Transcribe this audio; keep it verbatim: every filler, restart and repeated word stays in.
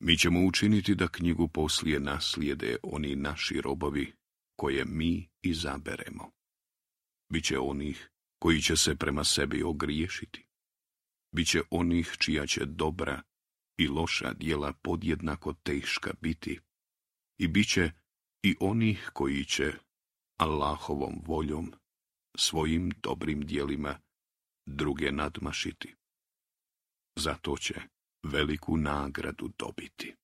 Mi ćemo učiniti da knjigu poslije naslijede oni naši robovi koje mi izaberemo. Biće onih koji će se prema sebi ogriješiti. Biće onih čija će dobra i loša djela podjednako teška biti. I biće i onih koji će Allahovom voljom, svojim dobrim djelima, druge nadmašiti. Zato će veliku nagradu dobiti.